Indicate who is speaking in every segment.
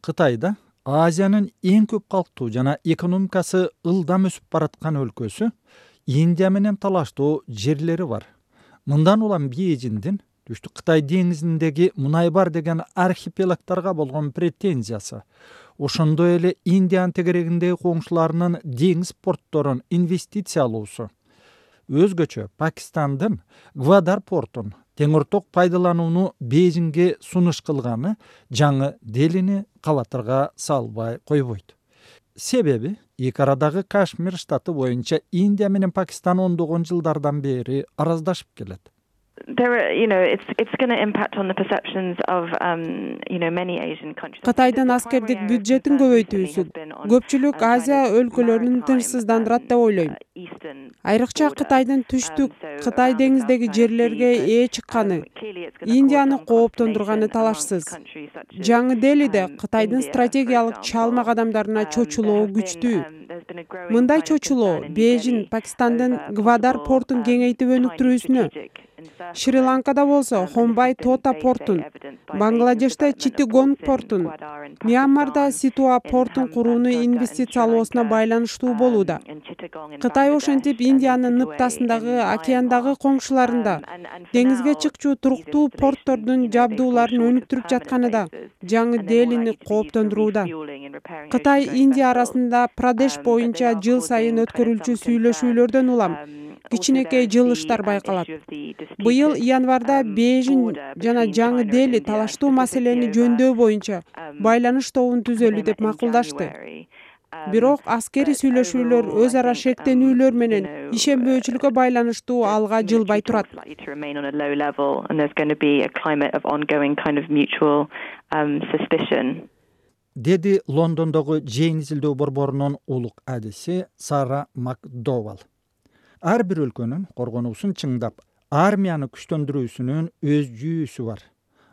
Speaker 1: Кытайда Азиянын эң көп калктуу жана экономикасы ылдам өсүп бараткан өлкөсү Индия менен талаштуу жерлери бар. Мындан улам Бейжиңдин Түштүк Кытай деңизиндеги мунай бар деген архипелагдарга болгон претензиясы, ошондой эле Индиянын тегерегиндеги коңшуларынын деңиз портторун инвестиция алуусу, өзгөчө Пакистандын Гвадар портун теңирток пайдаланууну Бейжиңге сунуш кылганы жаңы Делини кабатырга салбай койбойт. Себеби эки арадагы Кашмир штаты боюнча Индия менен Пакистан ондогон жылдардан бери араздашып келет.
Speaker 2: Кытайдын аскердик бюджетин көбөйтүүсү көпчүлүк Азия өлкөлөрүн тынчсыздандырат деп ойлойм. Айрыкча Кытайдын түштүк Кытай деңиздеги жерлерге ээ чыкканы Индияны кооптондурганы талашсыз. Жаңы Делиде Кытайдын стратегиялык чалма кадамдарына чочулоо күчтүү. Мындай чочулоо Бейжиң Пакистандын Гвадар портун кеңейтип өнүктүрүүсүнө, Шри-Ланкада болсо Хомбай Тота портун, Бангладеште Читтагонг портун, Мьянмарда Ситуа портун курууну инвестициялоосуна байланыштуу болууда. Кытай ошентип Индиянын ныптасындагы океандагы коңшуларында деңизге чыкчу туруктуу порттордун жабдууларын өнүктүрүп жатканы да жаңы Делини кооптондурууда. Кытай Индия арасында Прадеш боюнча жыл сайын өткөрүлчү сүйлөшүүлөрдөн улам кичинекей жылыштар байкалат. Быйыл январда Бейжиң жана жаңы Дели талаштуу маселени жөндөөө боюнча байланыш тобун түзөлү деп макулдашты. Бирок аскерий сүйлөшүүлөр өз ара шектенүүлөр менен ишенбөөчүлүккө байланыштуу алга жылбай турат.
Speaker 1: Деди Лондондогу Джейн изилдөө борборунун улук адиси Сара Макдовал. Ар бир өлкөнүн коргонуусун чыңдап, армияны күчтөндүрүүсүнүн өз жүйүсү бар.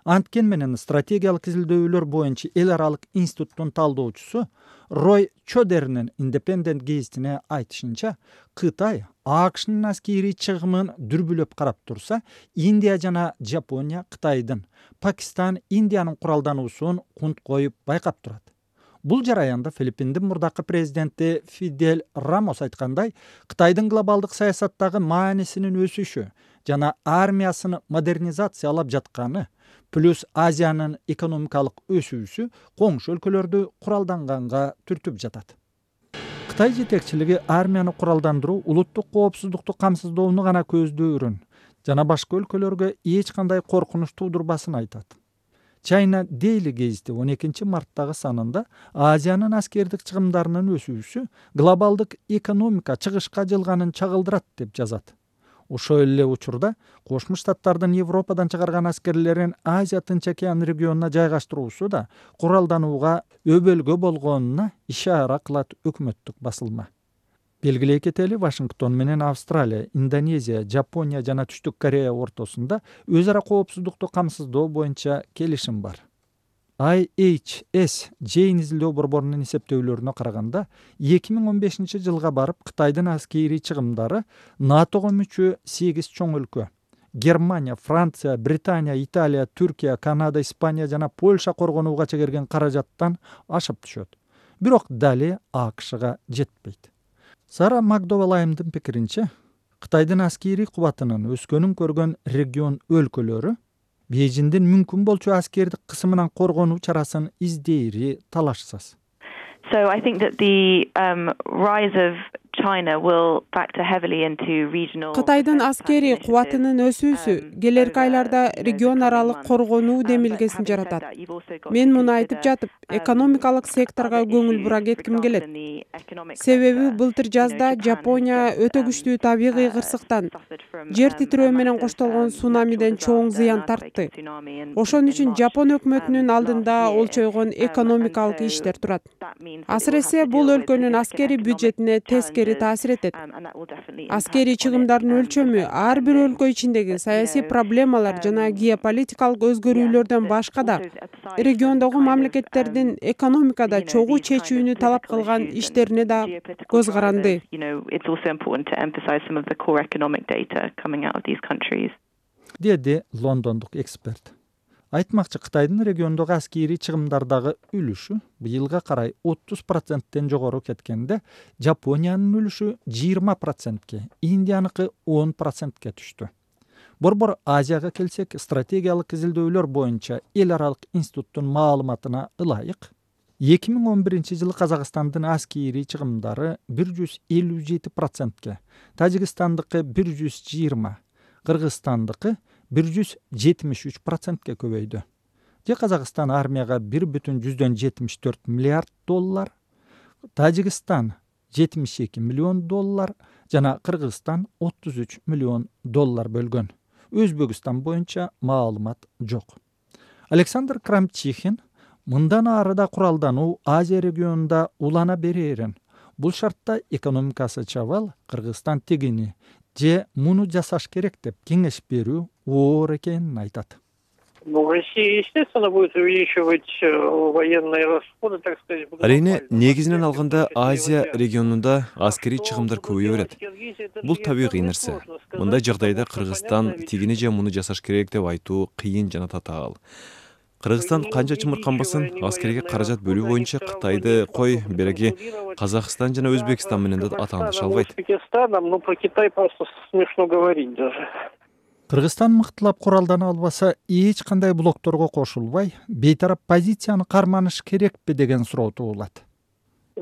Speaker 1: Анткен менен стратегиялык изилдөөлөр боюнча эл аралык институттун талдоочусу Рой Чодернин Independent гезитине айтышынча, Кытай АКШнын аскерий чыгымын дүрбүлөп карап турса, Индия жана Жапония Кытайдын, Пакистан Индиянын куралдануусун кунт коюп байкап турат. Бул жараянда Филиппиндин мурдакы президенти Фидель Рамос айткандай, Кытайдын глобалдык саясаттагы маанисинин өсүшү жана армиясын модернизациялап жатканы плюс Азиянын экономикалык өсүүсү коңшу өлкөлөрдү куралданганга түртүп жатат. Кытай жетекчилиги армияны куралдандыруу улуттук коопсуздукту камсыздоону гана көздөрүн жана башка өлкөлөргө эч кандай коркунуч туудурбасын айтат. China Daily гезити 12 марттагы санында Азиянын аскердик чыгымдарынын өсүүсү глобалдык экономика чыгышка жылганын чагылдырат деп жазат. Ошол эле учурда Кошмо Штаттардын Европадан чыгарган аскерлерин Азия Тынч океан регионуна жайгаштыруусу да куралданууга өбөлгө болгонуна ишара кылат өкмөттүк басылма. Белгилей кетели, Вашингтон менен Австралия, Индонезия, Жапония жана Түштүк Корея ортосунда өз ара коопсуздукту камсыздоо боюнча келишим бар. IHS Джейн изилдөө борборунун эсептөөлөрүнө караганда 2015 жылга барып Кытайдын аскерий чыгымдары НАТОго мүчө 8 чоң өлкө Германия, Франция, Британия, Италия, Түркия, Канада, Испания жана Польша коргонууга чегерген каражаттан ашып түшөт. Бирок дали АКШга жетпейт. Сара Макдовалайымдын пикиринче, Кытайдын аскерий кубатынын өскөнүн көргөн регион өлкөлөрү Бейжиңдин мүмкүн болчу аскердик кысымынан коргонуу чарасын издээри талашсыз.
Speaker 3: So I think that the rise of China will factor heavily into regional.
Speaker 2: Кытайдын аскерий кубатынын өсүүсү келерки айларда регион аралык коргонуу демилгесин жаратат. Мен муну айтып жатып, экономикалык секторго көңүл бура кетким келет. Себеби былтыр жазда Жапония өтө күчтүү табигый кырсыктан, жер титирөө менен коштолгон цунамиден чоң зыян тартты. Ошон үчүн Жапон өкмөтүнүн алдында олчойгон экономикалык иштер турат. Асыресе бул өлкөнүн аскерий бюджетине тескери таасир этет. Аскерий чыгымдардын өлчөмү ар бир өлкө ичиндеги саясий проблемалар жана геополитикалык өзгөрүүлөрдөн башка да региондогу мамлекеттердин экономикада чогуу чечүүнү талап кылган иштерине да көз каранды.
Speaker 1: Деди лондондук эксперт. Айтмакчы, Кытайдын региондогу аскерий чыгымдардагы үлүшү быйылга карай 30%тен жогору кеткенде, Жапониянын үлүшү 20%, Индияныкы 10%ке түштү. Борбор Азияга келсек, стратегиялык изилдөөлөр боюнча эл аралык институттун маалыматына ылайык 2011-жылы Казакстандын аскерий чыгымдары 157%, Тажикстандыкы 120%, Кыргызстандыкы 173%ке көбөйдү. Казакстан армияга 1,74 миллиард доллар, Тажикстан 72 миллион доллар жана Кыргызстан 33 миллион доллар бөлгөн. Өзбекстан боюнча маалымат жок. Александр Крамчихин мындан ары да куралдануу Азия регионунда улана берерин, бул шартта экономикасы чабал Кыргызстан тигини же муну жасаш керек деп кеңеш берүү оор экенин айтат.
Speaker 4: Россия, естественно, будет увеличивать военные расходы, так сказать.
Speaker 5: Арийне, негизинен алганда Азия регионунда аскерий чыгымдар көбөйө берет. Бул табигый нерсе. Мындай жагдайда Кыргызстан тигини же муну жасаш керек деп айтуу кыйын жана татаал. Кыргызстан канча чымырканбасын, аскерийге каражат бөлүү боюнча Кытайды кой, береги Казакстан жана Өзбекстан менен да атаандыша албайт.
Speaker 4: Но про Китай просто смешно говорить даже.
Speaker 1: Кыргызстан мыктылап куралдана албаса, эч кандай блокторго кошулбай, бейтарап позицияны карманыш керекпи деген суроо туулат.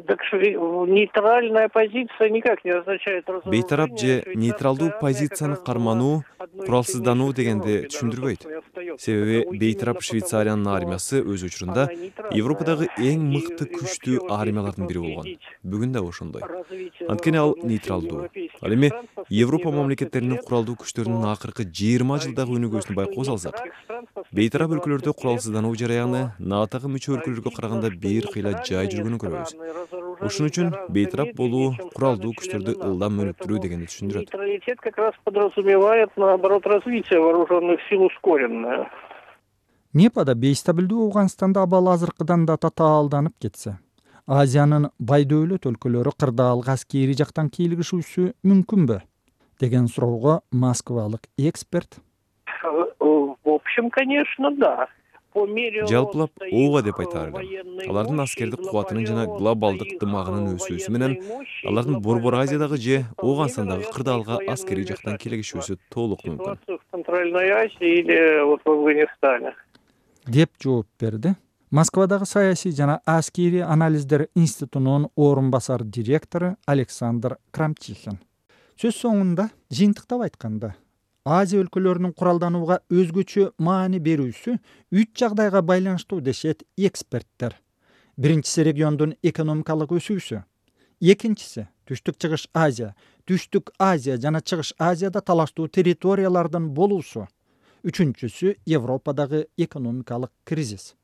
Speaker 4: Так что нейтральная позиция никак не означает разоружение.
Speaker 5: Бейтарап же нейтралдуу позицияны кармануу, куралсыздануу дегенди түшүндүрбөйт. Себеби бейтарап Швейцариянын армиясы өз учурунда Европадагы эң мыкты күчтүү армиялардын бири болгон. Бүгүн да ошондой. Анткени ал нейтралдуу. Ал эми Европа мамлекеттеринин куралдуу күчтөрүнүн акыркы 20 жылдагы өнүгүүсүн байкоо салсак, бейтарап өлкөлөрдө куралсыздануу жараяны НАТОго мүчө өлкөлөргө караганда бир кыйла жай жүргөнүн көрөбүз. Ошон үчүн бейтарап болуу, куралдуу күчтөрдү ылдам өнүктүрүү дегенди түшүндүрөт.
Speaker 4: Нейтралитет как раз подразумевает, наоборот, развитие вооруженных сил ускоренное.
Speaker 1: Непада бейстабилдүү Ауганстанда абал азыркыдан да татаалданып кетсе, Азиянын бай дөөлөт өлкөлөрү кырдаалга аскерий жактан кийлигишүүсү мүмкүнбү деген суроого москвалык эксперт:
Speaker 4: В общем, конечно, да.
Speaker 5: Жалпылап ооба деп айтаар элем. Алардын аскердик кубатынын жана глобалдык дымагынын өсүүсү менен алардын Борбор Азиядагы же Ооганстандагы кырдаалга аскерий жактан кийлигишүүсү толук мүмкүн.
Speaker 4: В Центральной Азии или вот в Афганистане.
Speaker 1: Деп жооп берди Москвадагы саясий жана аскерий анализдер институтунун орун басар директору Александр Крамчихин. Сөз соңунда жыйынтыктап айтканда, Азия өлкөлөрүнүн куралданууга өзгөчө маани берүүсү 3 жагдайга байланыштуу дешет эксперттер. Биринчиси региондун экономикалык өсүүсү, экинчиси Түштүк Чыгыш Азия, Түштүк Азия жана Чыгыш Азияда талаштуу территориялардын болуусу, үчүнчүсү Европадагы экономикалык кризис.